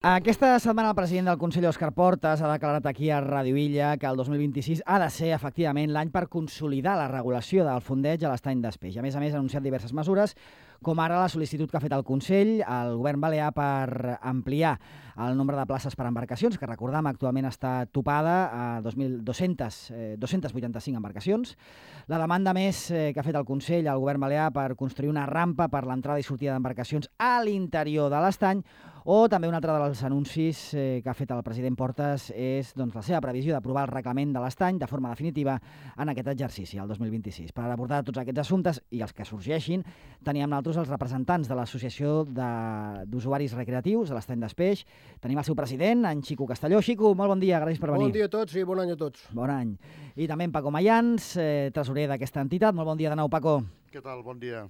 Aquesta setmana el president del Consell, Òscar Portas, ha declarat aquí a Ràdio Illa que el 2026 ha de ser, efectivament, l'any per consolidar la regulació del fondeig a l'estany d'Espeix. A més, ha anunciat diverses mesures, com ara la sol·licitud que ha fet el Consell al govern balear per ampliar el nombre de places per embarcacions, que recordam actualment està topada a 285 embarcacions. La demanda més que ha fet el Consell al govern balear per construir una rampa per l'entrada i sortida d'embarcacions a l'interior de l'estany, o també un altre dels anuncis que ha fet el president Portas és la seva previsió d'aprovar el reglament de l'estany de forma definitiva en aquest exercici, el 2026. Per abordar tots aquests assumptes i els que sorgeixin, teníem nosaltres els representants de l'Associació d'Usuaris Recreatius de l'Estany d'Espeix. Tenim el seu president, en Xico Castelló. Xico, molt bon dia, gràcies per venir. Bon dia a tots i bon any a tots. Bon any. I també en Paco Mayans, tresorer d'aquesta entitat. Molt bon dia de nou, Paco. Què tal? Bon dia.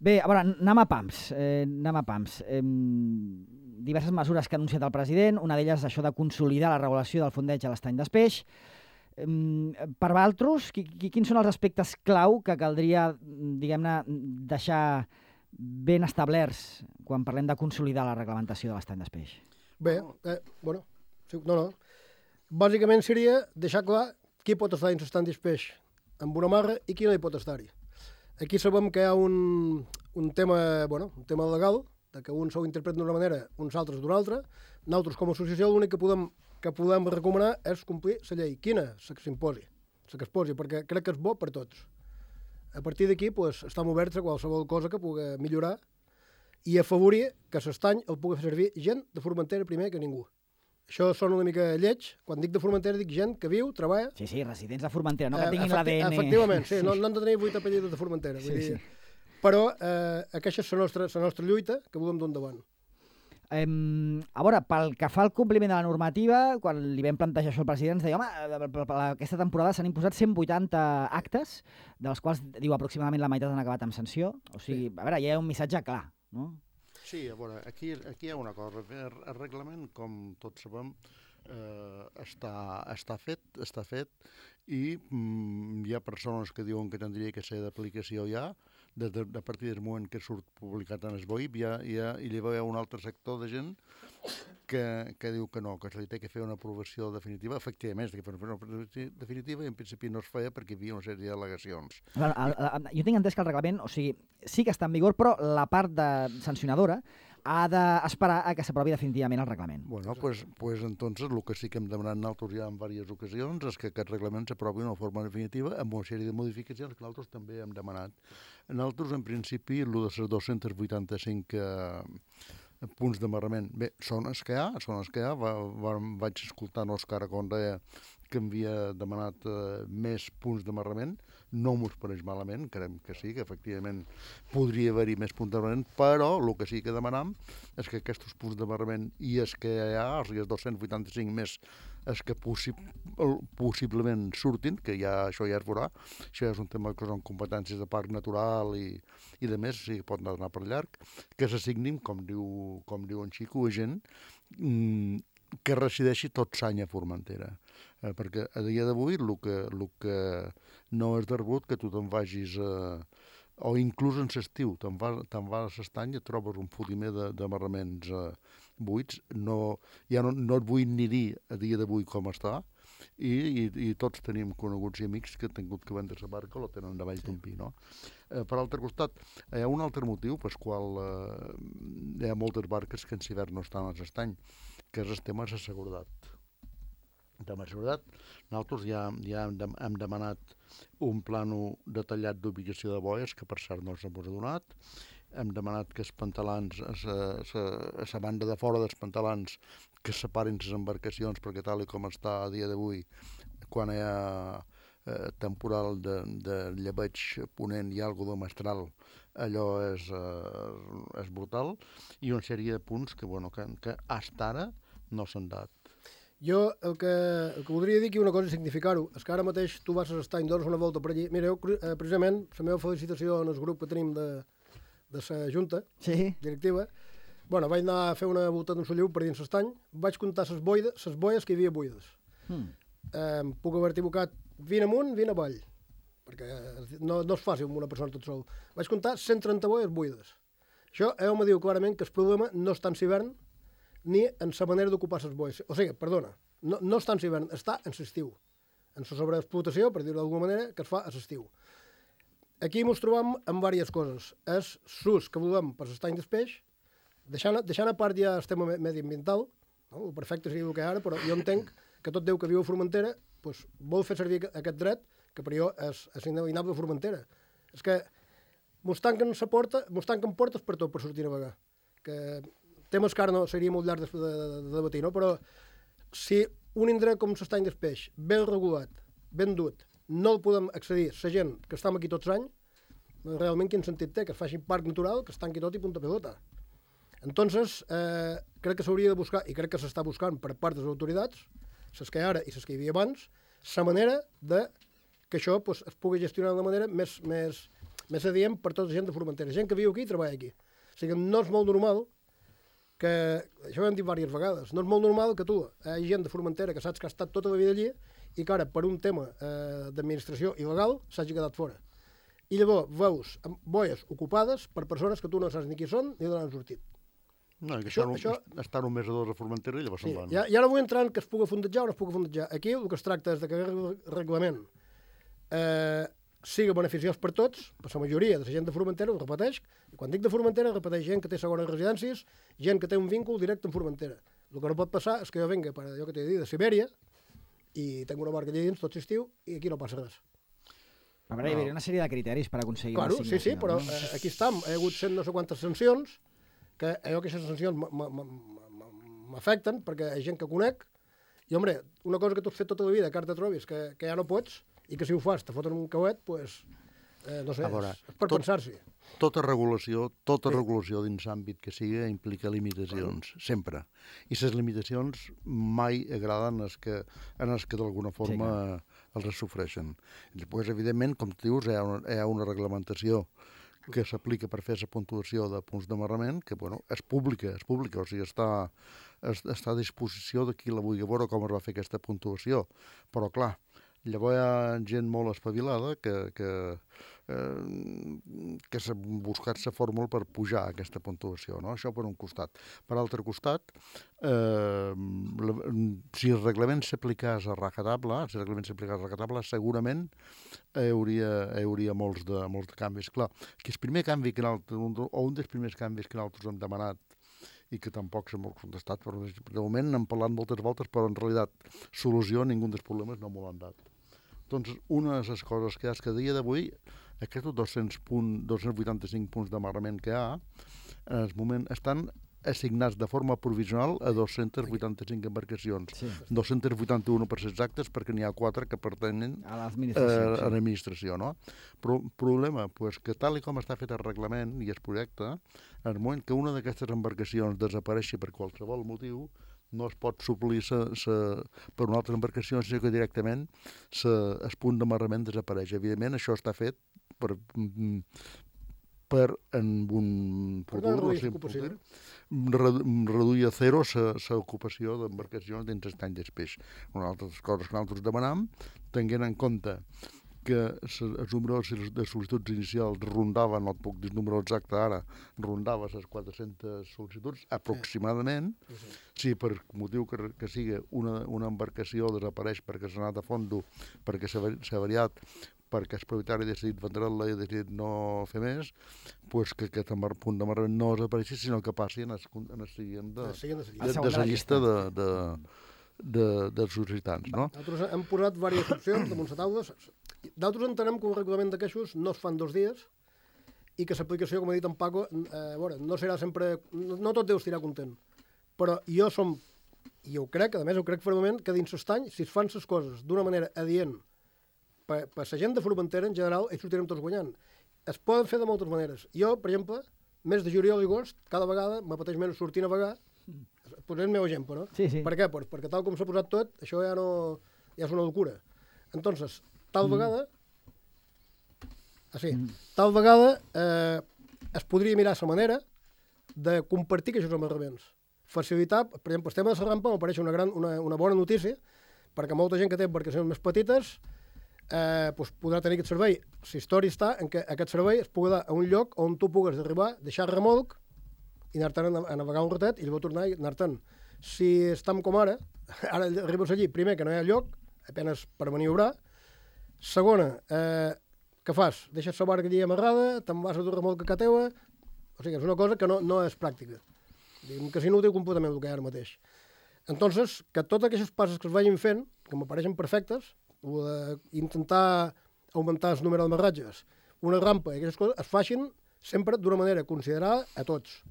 Bé, a veure, anem a pams. Diverses mesures que ha anunciat el president, una d'elles això de consolidar la regulació del fondeig a l'estany d'Espeix. Per vosaltres, quins són els aspectes clau que caldria, diguem-ne, deixar ben establerts quan parlem de consolidar la reglamentació de l'estany d'Espeix? Bé, bàsicament seria deixar clar qui pot estar dins l'estany d'Espeix amb una marra i qui no hi pot estar-hi. Aquí sabem que hi ha un tema legal, que uns ho interpreten d'una manera, uns altres d'una altra. Nosaltres, com a associació, l'únic que podem recomanar és complir la llei. Quina? La que s'imposi, la que es posi, perquè crec que és bo per tots. A partir d'aquí, estem oberts a qualsevol cosa que pugui millorar i afavorir que l'estany el pugui fer servir gent de Formentera primer que ningú. Això sona una mica lleig. Quan dic de Formentera dic gent que viu, treballa... Sí, residents de Formentera, no que tinguin l'ADN... Efectivament, sí, no han de tenir 8 apellidos de Formentera. Sí. Però aquesta és la nostra lluita que volem dur endavant. A veure, pel que fa al compliment de la normativa, quan li vam plantejar això al president, ens deia, home, aquesta temporada s'han imposat 180 actes, dels quals, diu, aproximadament la meitat han acabat amb sanció. O sigui, a veure, hi ha un missatge clar, no? Sí, a veure, aquí hi ha una cosa. El reglament, com tots sabem, està fet i hi ha persones que diuen que tindria que ser d'aplicació ja, a partir del moment que surt publicat en el BOIP, i llavors hi ha un altre sector de gent que diu que no, que se li té que fer una aprovació definitiva. Efectivament, es té que fer una aprovació definitiva i en principi no es feia perquè hi havia una sèrie d'al·legacions. Jo tinc entès que el reglament, o sigui, sí que està en vigor, però la part sancionadora ha d'esperar a que s'aprovi definitivament el reglament. Bueno, pues entonces el que sí que hem demanat nosaltres ja en diverses ocasions és que aquest reglament s'aprovi d'una forma definitiva amb una sèrie de modificacions que nosaltres també hem demanat. Nosaltres, en principi, el de les 285 punts d'amarrament, bé, són els que hi ha. Vaig escoltar l'Òscar quan deia que havia demanat més punts d'amarrament. No m'ho pareix malament, creiem que sí, que efectivament podria haver-hi més punts d'amarrament, però el que sí que demanam és que aquests punts d'amarrament i els que hi ha, els 285 més, els que possiblement surtin, que això ja es veurà, això és un tema que són competències de parc natural i de més, sí que pot anar per llarg, que s'assignin, com diu en Xico, a gent que resideixi tot l'any a Formentera. Perquè a dia d'avui el que no és de rebut que tu te'n vagis, o inclús en l'estiu, te'n vas a l'estany i et trobes un fotimer d'amarraments buits. Ja no et vull ni dir a dia d'avui com està, i tots tenim coneguts i amics que han tingut que vendre la barca o la tenen davall d'un pi, no? Per altre costat, hi ha un altre motiu pel qual hi ha moltes barques que en hivern no estan a l'estany, que és el tema de la seguretat. El tema de seguretat, nosaltres ja hem demanat un plano detallat d'ubicació de boies, que per cert no s'ha donat. Hem demanat que els pantalans, a la banda de fora dels pantalans, que separin les embarcacions, perquè tal com està a dia d'avui, quan hi ha temporal de llebeig ponent i algo de mestral, allò és brutal, i una sèrie de punts que fins ara no s'han dat. Jo el que voldria dir aquí una cosa és significar-ho. És que ara mateix tu vas a l'estany, dones una volta per allí. Mira, jo precisament, la meva felicitació en el grup que tenim de la Junta directiva, vaig anar a fer una volta d'un solliu per dins l'estany, vaig comptar les boies que hi havia buides. Puc haver-t'hi equivocat 20 amunt, 20 avall, perquè no és fàcil amb una persona tot sol. Vaig comptar 130 boies buides. Això, me diu clarament que el problema no és tant l'hivern, ni en la manera d'ocupar les boies. O sigui, perdona, no està en l'hivern, està en l'estiu. En la sobreexplotació, per dir-ho d'alguna manera, que es fa a l'estiu. Aquí ens trobam amb diverses coses. És l'ús que volem per l'estany del peix, deixant a part ja el tema mediambiental, no? El perfecte seria el que ara, però jo entenc que tot Déu que viu a Formentera doncs, vol fer servir aquest dret, que per jo és inalienable a Formentera. És que mos tanquen portes per tot, per sortir a navegar. Que temes que ara no seria molt llarg de debatir, no? Però si un indret com l'estany del peix, ben regulat, ben dut, no el podem accedir la gent que estem aquí tots l'any, realment quin sentit té? Que es faci un parc natural, que es tanqui tot i punta pelota. Entonces, crec que s'hauria de buscar, i crec que s'està buscant per part de les autoritats, les que hi ha ara i les que hi havia abans, la manera de que això pues, es pugui gestionar d'una manera més adient per tota la gent de Formentera. Gent que viu aquí i treballa aquí. O sigui, no és molt normal que, això ho hem dit diverses vegades, no és molt normal que tu, hi ha gent de Formentera que saps que ha estat tota la vida allí i que ara, per un tema d'administració il·legal, s'hagi quedat fora. I llavors veus boies ocupades per persones que tu no saps ni qui són ni d'on han sortit. No, que estan un mes o dos a Formentera i llavors se'n van. Ja no vull entrar en que es pugui fondejar o no es pugui fondejar. Aquí el que es tracta és de que el reglament sigui beneficiós per tots, per la majoria de la gent de Formentera, ho repeteix, i quan dic de Formentera, repeteix gent que té segones residències, gent que té un víncle directe amb Formentera. El que no pot passar és que jo venga, per allò que t'he dit, de Sibèria, i tinc una barca allà dins tot l'estiu, i aquí no passa res. A veure, hi hauria una sèrie de criteris per aconseguir claro, la signació. Sí, però aquí estem, he hagut sent no sé quantes sancions, que aquestes sancions m'afecten, perquè hi ha gent que conec, i, home, una cosa que tu has fet tota la vida, que ara te trobis, que ja no pots, i que si ho fas te foten un cauet, doncs, no sé, és per pensar-s'hi. Tota regulació dins l'àmbit que sigui implica limitacions, sempre. I les limitacions mai agraden en els que d'alguna forma els sofreixen. Després, evidentment, com tu dius, hi ha una reglamentació que s'aplica per fer la puntuació de punts d'amarrament, que bueno, és pública, o sigui, està a disposició de qui la vulgui veure com es va fer aquesta puntuació. Però, clar, llavors hi ha gent molt espavilada que s'ha buscat la fórmula per pujar aquesta puntuació, no? Això per un costat. Per altre costat, si el reglament s'aplicés a rajatabla, segurament hi hauria molts de canvis. Clar, que el primer canvi que un dels primers canvis que nosaltres hem demanat i que tampoc s'ha molt contestat, però de moment hem parlat moltes voltes, però en realitat solució a ningú dels problemes no m'ho han dat. Doncs una de les coses que hi ha és que a dia d'avui aquests 285 punts d'amarrament que hi ha en el moment estan assignats de forma provisional a 285 embarcacions. Sí. 281 per ser exactes, perquè n'hi ha 4 que pertanyen a l'administració. No? Però el problema és que tal com està fet el reglament i el projecte, en el moment que una d'aquestes embarcacions desapareixi per qualsevol motiu, no es pot suplir per una altra embarcació, sinó que directament el punt d'amarrament desapareix. Evidentment, això està fet per en un futur reduir a zero l'ocupació d'embarcacions dins l'estany del peix. Una altra cosa que nosaltres demanam, tenint en compte que els números de sol·licituds inicials rondaven, no et puc dir el número exacte ara, rondava les 400 sol·licituds aproximadament. Si per motiu que sigui una embarcació desapareix perquè s'ha anat a fondo, perquè s'ha variat, perquè el propietari ha decidit vendre-la i ha decidit no fer més, doncs que aquest punt d'amarrament no desapareixi, sinó que passi en el seguient de la llista dels sol·licitants. No? Nosaltres hem posat diverses opcions damunt la taula. Nosaltres entenem que un reglament d'aquestos no es fan 2 dies i que l'aplicació, com ha dit en Paco, no serà sempre... No tot deu estar content. Però i ho crec, a més ho crec fermament, que dins l'estany, si es fan les coses d'una manera adient per la gent de Formentera, en general, ells sortirem tots guanyant. Es poden fer de moltes maneres. Jo, per exemple, mes de juliol i agost, cada vegada m'apeteix menys sortir a navegar. Posaré el meu exemple, no? Sí. Per què? Perquè tal com s'ha posat tot, això ja és una locura. Entonces, tal vegada es podria mirar la manera de compartir aquests amarraments. Facilitar, per exemple, el tema de la rampa m'apareix una bona notícia, perquè molta gent que té embarcacions més petites podrà tenir aquest servei. La història està en què aquest servei es pugui dar a un lloc on tu pugues arribar, deixar remolc i anar-te'n a navegar un ratet i llavors tornar i anar-te'n. Si estem com ara arribes allí, primer, que no hi ha lloc, apenas per maniobrar. Segona, què fas? Deixes la barca allí amarrada, te'n vas a dur remolca a teua. O sigui, és una cosa que no és pràctica. Diguem que és inútil completament el que hi ha ara mateix. Entonces, que totes aquestes passes que es vagin fent, que m'apareixen perfectes, o d'intentar augmentar el número d'amarratges, una rampa i aquestes coses, es facin sempre d'una manera considerada a tots.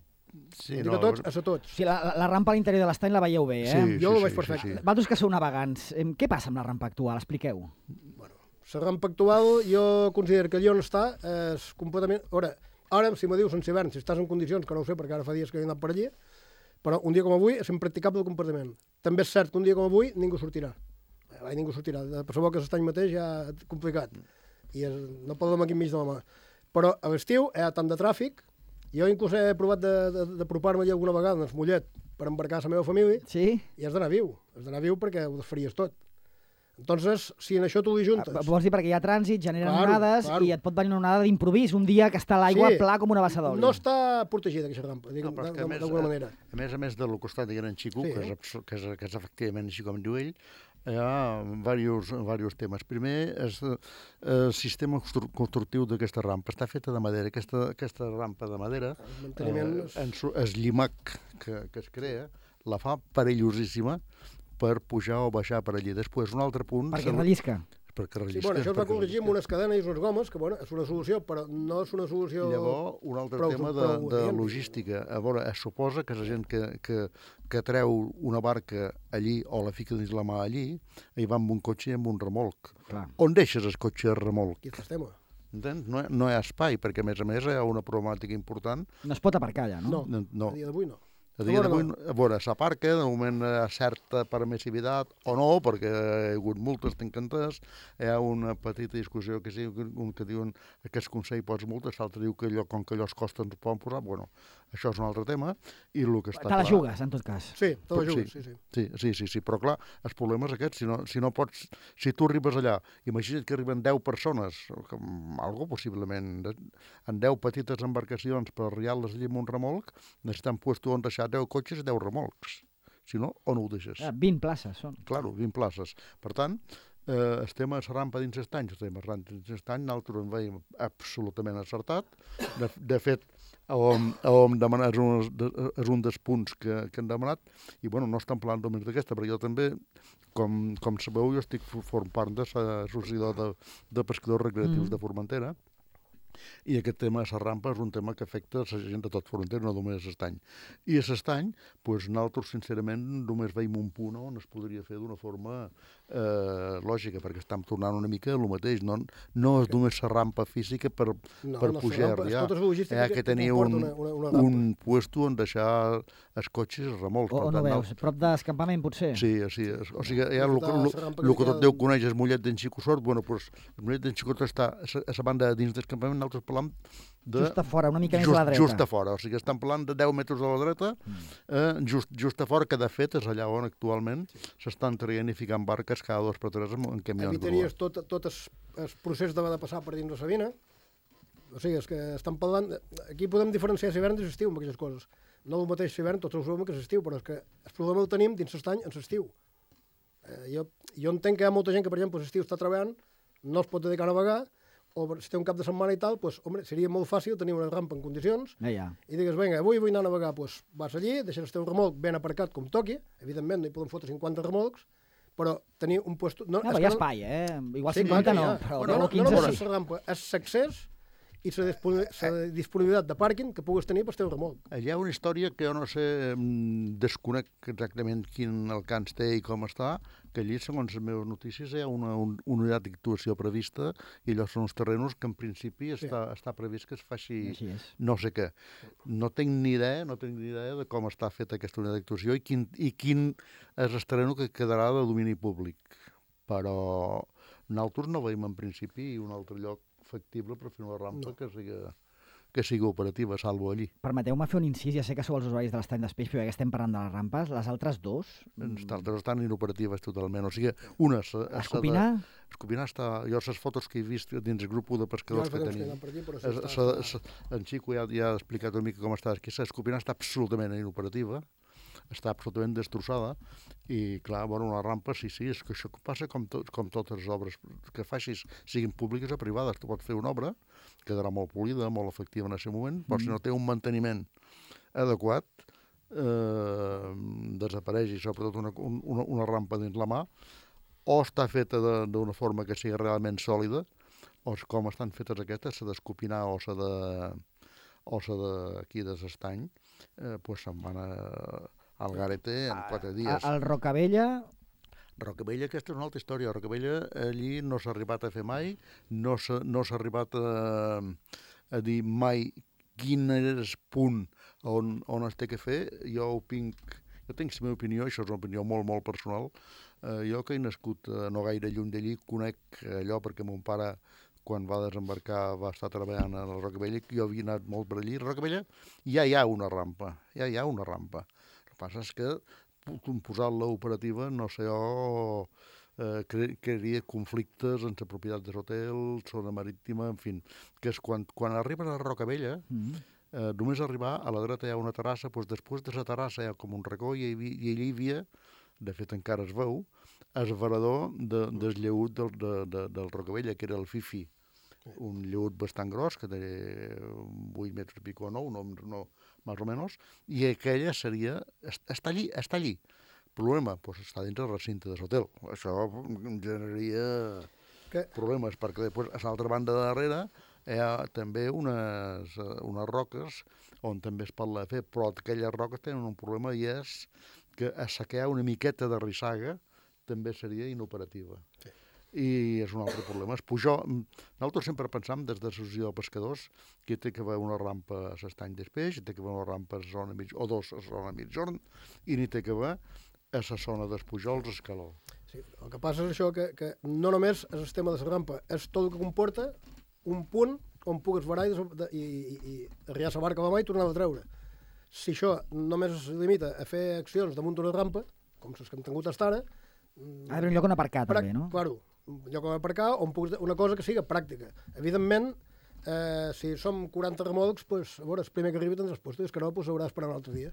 Sí, Dic a tots, a tots. O sigui, la rampa a l'interior de l'estany la veieu bé, eh? Sí, Jo ho veig perfecte. Vosaltres que sou navegants, què passa amb la rampa actual? Expliqueu. Bueno, la rampa actual jo considero que allà on està és completament... Ara, si me dius en hivern, si estàs en condicions, que no ho sé perquè ara fa dies que he anat per allí, però un dia com avui és impracticable completament. També és cert que un dia com avui ningú sortirà. Ningú sortirà. De per que l'estany mateix ja és complicat. I no podem aquí enmig de la mà. Però a l'estiu hi ha tant de tràfic. Jo inclús he provat d'apropar-me allà alguna vegada en el Mollet per embarcar la meva família. Sí? I has d'anar viu. Has d'anar viu perquè ho desfaries tot. Entonces, si en això tu li juntes... Vols dir perquè hi ha trànsit, generen onades i et pot venir una onada d'improvís un dia que està l'aigua pla com una bassa d'oli. No està protegida aquesta rampa, d'alguna manera. A més del costat de Gran Xico, que és efectivament així com diu ell, hi ha diversos temes. Primer, el sistema constructiu d'aquesta rampa està feta de madera. Aquesta rampa de madera, el llimac que es crea, la fa perillosíssima per pujar o baixar per allí. Després, un altre punt... Perquè rellisca. Sí, bueno, això es va corregir amb unes cadenes i unes gomes, que bueno, és una solució, però no és una solució... Llavors, un altre tema de logística. A veure, es suposa que la gent que treu una barca allí o la fica dins la mà allí, hi va amb un cotxe i amb un remolc. Clar. On deixes el cotxe i el remolc? Aquí és el tema. Entens? No hi ha espai, perquè a més hi ha una problemàtica important. No es pot aparcar allà, no? No, a dia d'avui no. A dia d'avui, a veure, s'aparca, de moment hi ha certa permissivitat o no, perquè hi ha hagut multes, tinc entès, hi ha una petita discussió que sí, un que diuen que el Consell posa multes, l'altre diu que allò, com que allò es costa ens ho poden posar, bueno, això és un altre tema, i el que està clar... Te la jugues, en tot cas. Sí, te la jugues, sí. Sí, però clar, el problema és aquest, si no pots, si tu arribes allà, imagina't que arriben 10 persones, algo possiblement, en 10 petites embarcacions per arribar-les allà amb un remolc, necessitem puesto on deixar 10 cotxes i 10 remolcs. Si no, on ho deixes? 20 places són. Claro, 20 places. Per tant, el tema de la rampa dins l'estany, nosaltres en veiem absolutament acertat. De fet, hem demanat, és un dels punts que hem demanat, i bueno, no estem parlant només d'aquesta, perquè jo també, com sabeu, jo estic formant part de l'associació de pescadors recreatius de Formentera, i aquest tema de la rampa és un tema que afecta la gent de tot Formentera, no només l'estany. I a l'estany, doncs, nosaltres, sincerament, només veiem un punt on es podria fer d'una forma lògica, perquè estem tornant una mica a lo mateix. No és només la rampa física per pujar i arribar. Hi ha que tenir un puesto on deixar els cotxes i remolcs. On ho veus? Prop d'escampament, potser? Sí. O sigui, hi ha el que tot Déu coneix, el Mollet d'en Xico Sort. Bueno, doncs, el Mollet d'en Xico està a la banda dins d'escampament, nosaltres parlam just a fora, una mica més a la dreta. Just a fora, o sigui, estem parlant de 10 metres a la dreta, just a fora, que de fet és allà on actualment s'estan traient i ficant barques cada 2 per 3 en camions. Evitaries tot el procés de passar per dins de Sabina. O sigui, és que estan parlant... Aquí podem diferenciar l'hivern i l'estiu amb aquestes coses. No el mateix l'hivern, tots ho sabem que és l'estiu, però és que el problema el tenim dins l'estany en l'estiu. Jo entenc que hi ha molta gent que, per exemple, l'estiu està treballant, no es pot dedicar a navegar, o si té un cap de setmana i tal, doncs, home, seria molt fàcil tenir una rampa en condicions i digues, vinga, avui vull anar a navegar, doncs vas allí, deixes el teu remolc ben aparcat com toqui, evidentment no hi poden fotre 50 remolcs, però tenir un puesto... No, hi ha espai, igual 50 no, però 15 sí. La rampa és l'accés i la disponibilitat de pàrquing que puguis tenir per teu remolc. Hi ha una història que jo no sé, desconec exactament quin alcance té i com està, que allí, segons les meves notícies, hi ha una unitat d'actuació prevista i allò són uns terrenos que en principi està previst que es faci no sé què. No tinc ni idea de com està feta aquesta unitat d'actuació i quin és el terreno que quedarà de domini públic. Però nosaltres no veiem en principi un altre lloc factible per fer una rampa que que sigui operativa, salvo allí. Permeteu-me fer un incís, ja sé que sou els usuaris de l'estany d'Espeix, però ja que estem parlant de les rampes, les altres dos... Les altres estan inoperatives totalment, o sigui, una... Escopinar? Escopinar està... Jo les fotos que he vist dins el grup de pescadors que tenim... En Xico ja ha explicat una mica com està. Escopinar està absolutament inoperativa, està absolutament destrossada, i clar, bueno, una rampa, sí, és que això passa com totes les obres que facis, siguin públiques o privades. Tu pots fer una obra, quedarà molt polida, molt efectiva en aquest moment, però si no té un manteniment adequat, desapareix, i sobretot una rampa dins la mà, o està feta d'una forma que sigui realment sòlida, o com estan fetes aquestes, s'ha d'escopinar o s'ha d'aquí de l'estany, doncs se'n van al garete en 4 dies. El Rocabella... Rocabella, aquesta és una altra història. Rocabella, allí no s'ha arribat a fer mai, no s'ha arribat a dir mai quin és el punt on es té que fer. Jo tinc la meva opinió, això és una opinió molt, molt personal. Jo, que he nascut no gaire lluny d'allí, conec allò perquè mon pare, quan va desembarcar, va estar treballant a la Rocabella, jo havia anat molt per allí. A Rocabella ja hi ha una rampa, El que passa és que posar-la operativa, no sé jo, crearia conflictes entre propietat de l'hotel, zona marítima, en fi, que és quan arribes a la Rocabella, només arribar, a la dreta hi ha una terrassa, doncs després de la terrassa hi ha com un racó, i allí hi havia, de fet encara es veu, el varador del lleut del Rocabella, que era el Fifi, un lleut bastant gros, que té 8 metres i pico o 9, no, més o menys, i aquella seria... Està allí. Problema, doncs està dins del recinte de l'hotel. Això generaria problemes, perquè després, a l'altra banda de darrere, hi ha també unes roques on també es pot fer, però aquelles roques tenen un problema, i és que assecar una miqueta de rissaga també seria inoperativa. Sí. I és un altre problema. Nosaltres sempre pensam, des de l'associació de pescadors, que té que haver una rampa a l'estany d'Espeix, té que haver una rampa a zona o dos a zona mitjorn, i n'hi té que haver a la zona dels Pujols, Escaló. Sí, el que passa és això, que no només és el tema de la rampa, és tot el que comporta un punt on pugues varar i arribar la barca a la mà i tornar a treure. Si això només es limita a fer accions damunt d'una rampa, com les que hem tingut fins ara... Ha d'haver un lloc on aparcar, també, no? Claro, un lloc on aparcar, on puguis una cosa que sigui pràctica. Evidentment, si som 40 remolcs, pues, a veure, el primer que arribi tindràs posto, i el que no, pues, haurà d'esperar un altre dia.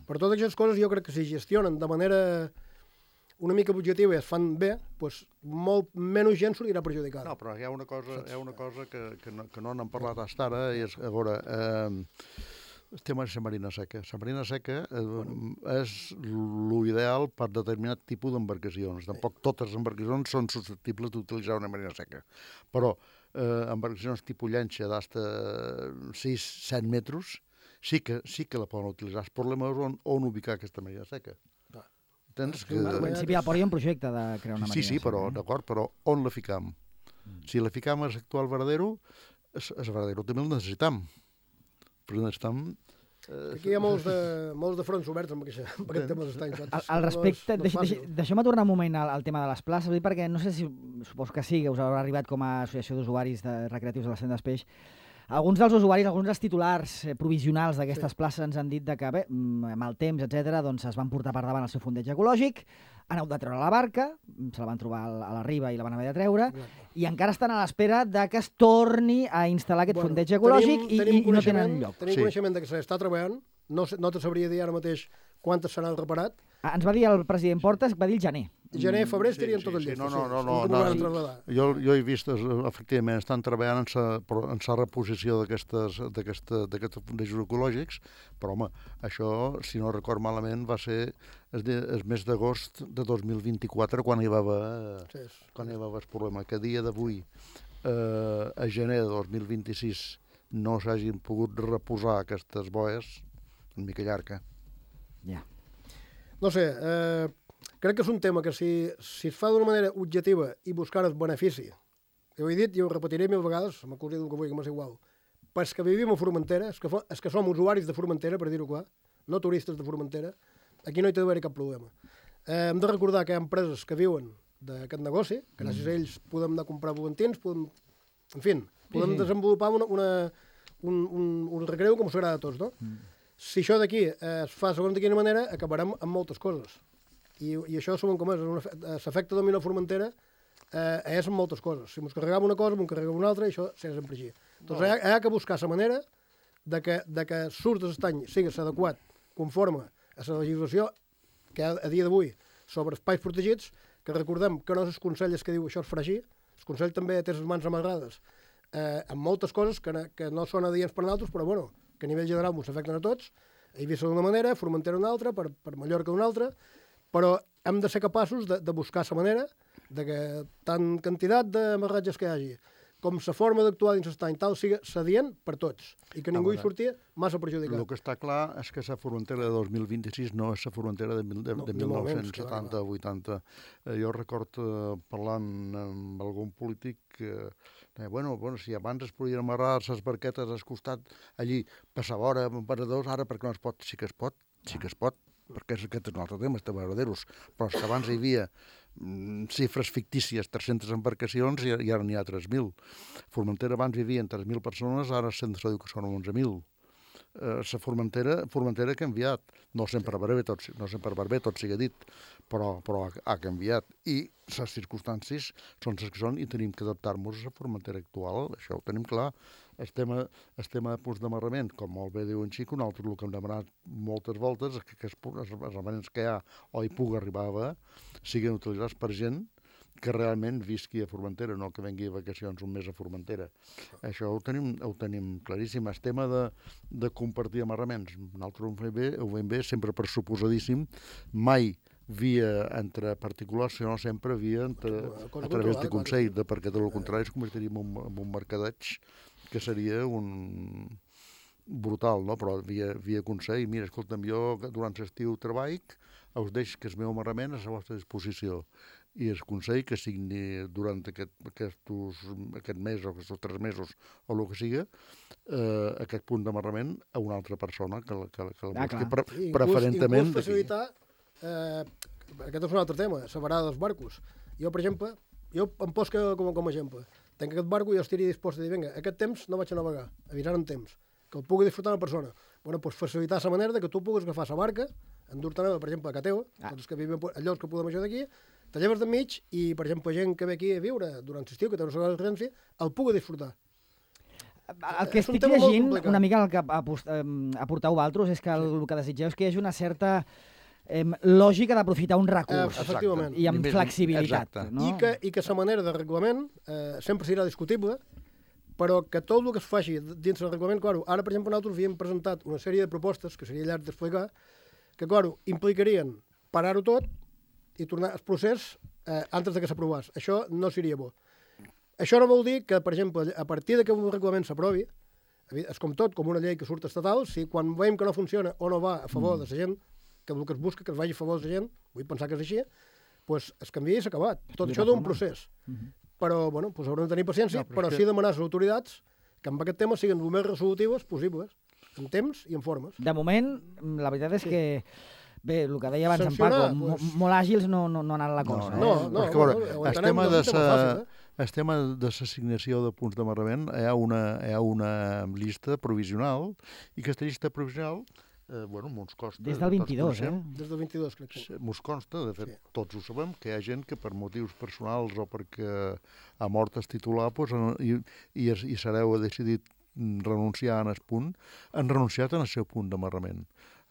Per totes aquestes coses, jo crec que si gestionen de manera una mica objectiva i es fan bé, pues, molt menys gent sortirà perjudicada. No, però hi ha una cosa que no n'hem parlat fins ara, i és, a veure... El tema és la marina seca. La marina seca és l'ideal per determinat tipus d'embarcacions. Tampoc totes les embarcacions són susceptibles d'utilitzar una marina seca. Però embarcacions tipus llanxa d'hasta 6-7 metres sí que la poden utilitzar. El problema és on ubicar aquesta marina seca. En principi al port hi ha un projecte de crear una marina seca. Sí, però d'acord, però on la ficam? Si la ficam a l'actual varadero, el varadero també el necessitam. Però necessitam... Aquí hi ha molts de fronts oberts amb aquest tema dels estanys. Al respecte, deixeu-me tornar un moment al tema de les places, perquè no sé si, suposo que sí, que us haurà arribat com a associació d'usuaris recreatius de l'estany d'Espeix. Alguns dels usuaris, alguns dels titulars provisionals d'aquestes places ens han dit que, bé, amb el temps, etc., doncs es van portar per davant el seu fondeig ecològic, han hagut de treure la barca, se la van trobar a la riba i la van haver de treure, i encara estan a l'espera de que es torni a instal·lar aquest fondeig ecològic i no tenen lloc. Tenim coneixement que s'està treballant, no te sabria dir ara mateix quantes se n'han reparat. Ens va dir el president Portes, va dir el gener. Gener, febrer estarien tot el llest. No. Jo he vist, efectivament, estan treballant en la reposició d'aquests fondejos ecològics, però, home, això, si no record malament, va ser el mes d'agost de 2024 quan hi va haver el problema. Que a dia d'avui, a gener de 2026, no s'hagin pogut reposar aquestes boies, una mica llarga. Ja. No sé, crec que és un tema que si es fa d'una manera objectiva i buscar el benefici, ho he dit i ho repetiré 1000 vegades, m'acusi del que vull, que m'és igual, però és que vivim a Formentera, és que som usuaris de Formentera, per dir-ho clar, no turistes de Formentera, aquí no hi té d'haver cap problema. Hem de recordar que hi ha empreses que viuen d'aquest negoci, gràcies a ells podem anar a comprar volantins, podem desenvolupar un recreu com us agrada a tots, no? Si això d'aquí es fa segons de quina manera, acabarem amb moltes coses. I això sabem com és, l'efecte dominó Formentera és amb moltes coses. Si ens carregam una cosa, ens carregam una altra, i això serà sempre així. Doncs hi ha que buscar la manera de que surt d'estany sigui adequat, conforme a la legislació que a dia d'avui sobre espais protegits, que recordem que no és el Consell que diu això es farà així, el Consell també té les mans amarrades amb moltes coses que no són adients per a nosaltres, però bueno, que a nivell general ens afecten a tots. Eivissa d'una manera, Formentera d'una altra, per Mallorca d'una altra, però hem de ser capaços de buscar la manera de que tant quantitat d'amarratges que hi hagi com la forma d'actuar dins l'estany tal sigui adient per tots i que ningú hi surti massa perjudicat. El que està clar és que la Formentera de 2026 no és la Formentera de 1970-80. Jo recordo parlant amb algun polític que bueno, si abans es podien amarrar les barquetes al costat allí, passava hora amb paradors, ara perquè no es pot? Sí que es pot, perquè aquest és un altre tema, està veraderos, però és que abans hi havia xifres fictícies, 300 embarcacions i ara n'hi ha 3.000. Formentera abans vivien 3.000 persones, ara se'n diu que són 11.000. La Formentera ha canviat, no sempre per bé, tot sigui dit, però ha canviat. I les circumstàncies són les que són i tenim que adaptar-nos a la Formentera actual, això ho tenim clar. El tema de punts d'amarrament, com molt bé diu en Xico, nosaltres el que hem demanat moltes voltes és que els amarraments que hi ha o hi pugui arribar a haver siguin utilitzats per gent que realment visqui a Formentera, no que vengui a vacacions un mes a Formentera. Això ho tenim claríssim. El tema de compartir amarraments, nosaltres ho veiem bé, sempre per suposadíssim, mai via entre particulars, sinó sempre via a través de Consell, perquè de lo contrari es convertiríem en un mercadeig que seria un brutal, no? Però via Consell, mira, escolta'm, jo durant l'estiu treballo, us deixo que el meu amarrament és a la vostra disposició. I el Consell que signi durant aquest mes o aquests 3 mesos o el que siga, aquest punt d'amarrament a una altra persona que el busqui preferentment d'aquí. Facilitar, aquest és un altre tema, la varada dels barcos. Jo, per exemple, em poso com a exemple. Tenc aquest barco i jo estaria dispost a dir, vinga, aquest temps no vaig a navegar, avisar en temps, que el pugui disfrutar una persona. Bueno, doncs facilitar la manera que tu puguis agafar la barca, endur-te, per exemple, a Cateu, tots que vivim a llocs que podem això d'aquí, te lleves d'enmig i, per exemple, gent que ve aquí a viure durant l'estiu, que té una segona residència, el pugui disfrutar. El que estic llegint, una mica el que aporteu vosaltres, és que el que desitgeu és que hi hagi una certa lògica d'aprofitar un recurs. Efectivament. I amb flexibilitat. No? I que la manera de reglament sempre serà discutible, però que tot el que es faci dins del reglament, claro, ara, per exemple, nosaltres havíem presentat una sèrie de propostes, que seria llarg d'explicar, que, claro, implicarien parar-ho tot i tornar al procés antes de que s'aprovés. Això no seria bo. Això no vol dir que, per exemple, a partir de que un reglament s'aprovi, és com tot, com una llei que surt estatal, si quan veiem que no funciona o no va a favor de la gent, que el que es busca que es vagi a favor de la gent, vull pensar que és així, doncs es canvia i s'ha acabat. Tot això d'un procés. Però, bueno, doncs haurem de tenir paciència, però sí demanar a les autoritats que amb aquest tema siguin el més resolutives possibles, en temps i en formes. De moment, la veritat és que, bé, el que deia abans en Paco, molt àgils no ha anat la cosa. No, el tema de l'assignació de punts d'amarrament hi ha una llista provisional i aquesta llista provisional mos consta... Des del 22, Des del 22, crec que. Mos consta, de fet, tots ho sabem, que hi ha gent que per motius personals o perquè ha mort el titular i Sareu ha decidit renunciar en el punt, han renunciat en el seu punt d'amarrament.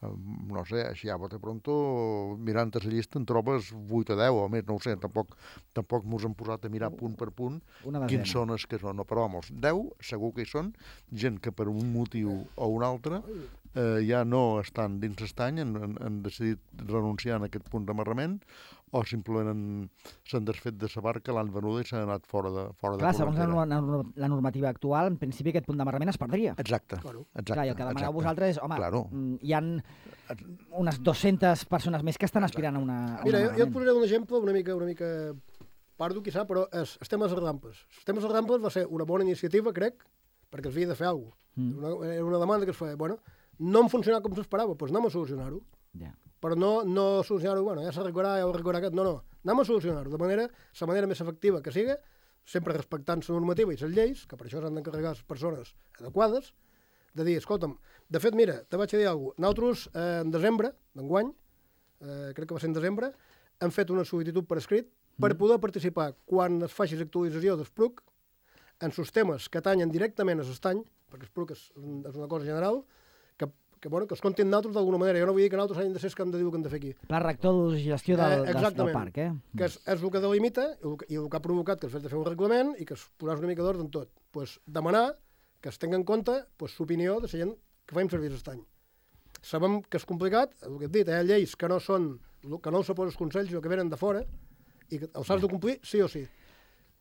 No sé, així a bote pronto, mirant la llista en trobes 8 o 10 o més, no ho sé, tampoc mos hem posat a mirar punt per punt quins són els que són, no, però vamos, 10 segur que hi són, gent que per un motiu o un altre ja no estan dins l'estany, han decidit renunciar a aquest punt d'amarrament o simplement s'han desfet de la barca, l'han venuda i s'han anat fora de Clar, segons la normativa actual, en principi aquest punt d'amarrament es perdria. Exacte. Clar, i el que demaneu vosaltres és, hi ha unes 200 persones més que estan aspirant a una... Mira, jo et posaré un exemple una mica pardo, quizà, però els temes de rampes. Els temes de rampes va ser una bona iniciativa, crec, perquè es havia de fer alguna cosa. Era una demanda que es feia, no em funcionava com s'esperava, doncs anem a solucionar-ho. Però no solucionar-ho, ja s'arreglarà, ja ho arreglarà aquest, no, anem a solucionar-ho, de la manera més efectiva que siga, sempre respectant la normativa i les lleis, que per això s'han d'encarregar les persones adequades, de dir, escolta'm, de fet, mira, te vaig a dir alguna cosa. Nosaltres, en desembre d'enguany, crec que va ser en desembre, hem fet una sol·licitud per escrit per poder participar quan es faci l'actualització d'Espruc en els temes que atanyen directament a l'estany, perquè Espruc és una cosa general, que es comptin nosaltres d'alguna manera. Jo no vull dir que nosaltres hagin de ser els que hem de dir el que hem de fer aquí. Pla rector de gestió del parc, que és el que delimita i el que ha provocat que es fet de fer un reglament i que es posàs una mica d'ordre en tot. Demanar que es tingui en compte l'opinió de la gent que fem servir l'estany. Sabem que és complicat, el que he dit, hi ha lleis que no els posen els consells, sinó que venen de fora, i que els has de complir sí o sí.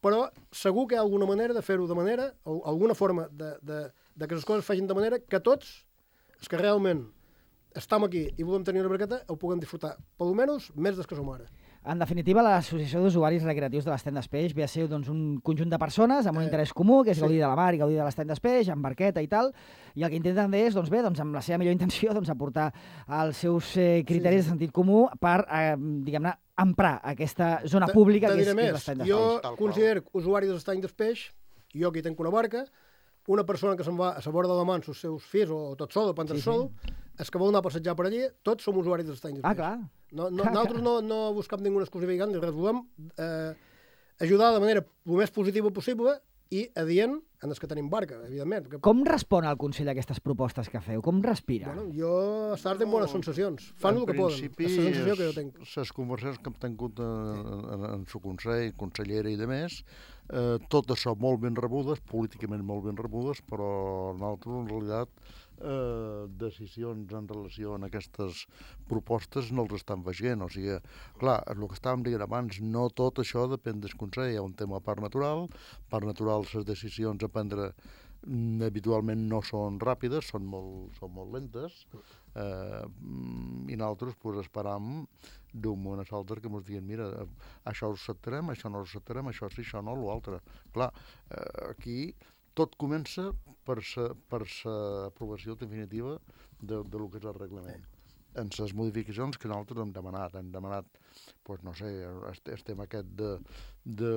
Però segur que hi ha alguna manera de fer-ho de manera, o alguna forma de que les coses facin de manera que tots, els que realment estem aquí i volem tenir una barqueta, ho puguem disfrutar, per almenys, més des que som ara. En definitiva, l'Associació d'Usuaris Recreatius de l'Estany d'Espeix ve a ser un conjunt de persones amb un interès comú, que és gaudir de la mar i gaudir de l'Estany d'Espeix, amb barqueta i tal, i el que intenten és, amb la seva millor intenció, aportar els seus criteris de sentit comú per, diguem-ne, emprar aquesta zona pública que és l'Estany d'Espeix. Jo considero usuari de l'Estany d'Espeix, jo que hi tenc una barca, una persona que se'n va a la vora de la mà amb els seus fills o tot sol, o prendre sol, els que vol anar a passejar per allí, tots som usuaris de l'Estany d'Espeix. Clar. Nosaltres no buscam ninguna exclusivitat ni res, volem ajudar de manera el més positiva possible i adient en els que tenim barca, evidentment. Com respon el Consell a aquestes propostes que feu? Com respira? Bueno, jo estar tenint bones sensacions. Fan el que poden. És la sensació que jo tinc. Les conversacions que hem tingut en el Consell, consellera i demés, tot això molt ben rebudes, políticament molt ben rebudes, però nosaltres, en realitat, decisions en relació a aquestes propostes no els estan veient. O sigui, clar, el que estàvem dient abans, no tot això depèn del Consell. Hi ha un tema a part natural, les decisions a prendre habitualment no són ràpides, són molt lentes, i nosaltres esperam d'un moment a l'altre que ens diguin, mira, això ho acceptarem, això no ho acceptarem, això sí, això no, l'altre. Clar, aquí tot comença per l'aprovació definitiva del que és el reglament. En les modificacions que nosaltres hem demanat, doncs no sé, el tema aquest de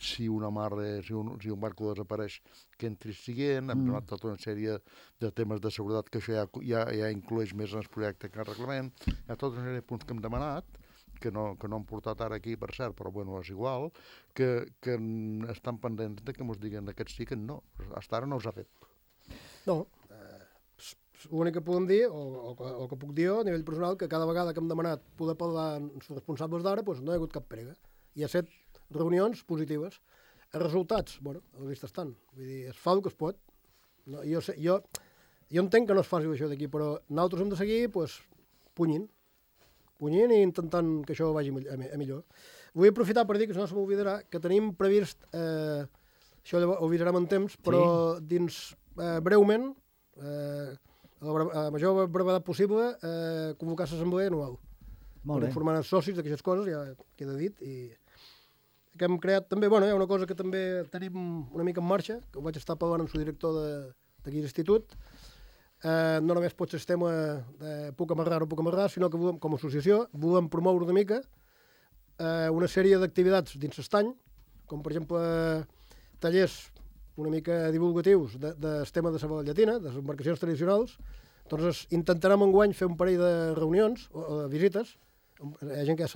si una marra, si un barco desapareix, que entri siguent, hem demanat tota una sèrie de temes de seguretat que això ja inclueix més en el projecte que en el reglament. Hi ha tota una sèrie de punts que hem demanat, que no hem portat ara aquí, per cert, però bueno, és igual, que estan pendents de que ens diguen aquest sí, que no. Fins ara no s'ha fet. No, l'únic que podem dir, o que puc dir jo, a nivell personal, que cada vegada que hem demanat poder parlar amb els responsables d'ara, doncs no hi ha hagut cap prega. Hi ha 7 reunions positives. Els resultats, bueno, a la vista estan. Vull dir, es fa el que es pot. No, jo entenc que no es faci això d'aquí, però nosaltres hem de seguir, doncs, punyint i intentant que això vagi a millor. Vull aprofitar per dir, que si no se m'oblidarà, que tenim previst, això ho avisarem en temps, però dins breument, a la major brevetat possible, convocar l'assemblea anual. Per informar els socis d'aquestes coses, ja queda dit, i que hem creat també, bueno, hi ha una cosa que també tenim una mica en marxa, que ho vaig estar parlant amb el director d'aquí l'institut. No només pot ser el tema de puc amarrar o no puc amarrar, sinó que volem, com a associació, volem promoure una mica una sèrie d'activitats dins l'estany, com per exemple tallers una mica divulgatius del tema de la llatina, de les embarcacions tradicionals. Doncs intentarem enguany fer un parell de reunions o de visites. Hi ha gent que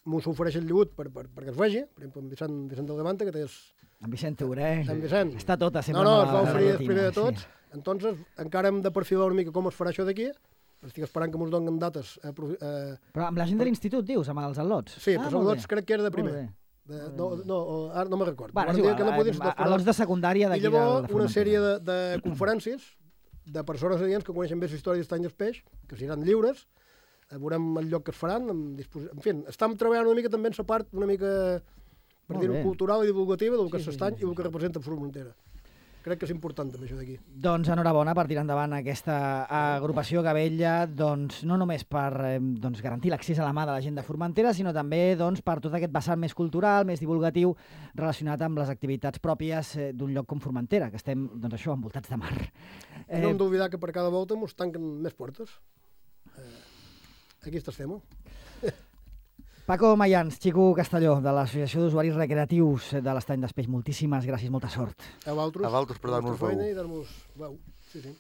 m'ho ofereix el lligut perquè es vegi, per exemple, en Vicent del Levante, que té en Vicent Teuré, està tota sempre es va oferir el primer de tots. Entonces, encara hem de perfilar una mica com es farà això d'aquí. Estic esperant que ens donin dates. Però amb la gent de l'institut, dius, amb els al·lots? Sí, però els al·lots crec que era de primer. Ara no me'n record. És igual, al·lots de secundària d'aquí. I llavors una sèrie de conferències de persones adients que coneixen bé la història d'Estany d'Espeix, que seran lliures, veurem el lloc que es faran. En fi, estem treballant una mica també en la part una mica, per dir-ho, cultural i divulgativa del que és l'estany i el que representa Formentera. Crec que és important també això d'aquí. Doncs enhorabona per tirar endavant aquesta agrupació que vetlla no només per garantir l'accés a la mà de la gent de Formentera, sinó també per tot aquest vessant més cultural, més divulgatiu, relacionat amb les activitats pròpies d'un lloc com Formentera, que estem, envoltats de mar. No hem d'oblidar que per cada volta ens tanquen més portes. Aquí estem. Paco Mayans, Xico Castelló, de l'Associació d'Usuaris Recreatius de l'Estany d'Espeix. Moltíssimes gràcies, molta sort. A vosaltres per dar-nos veu. feina i dar-nos veu. Sí, sí.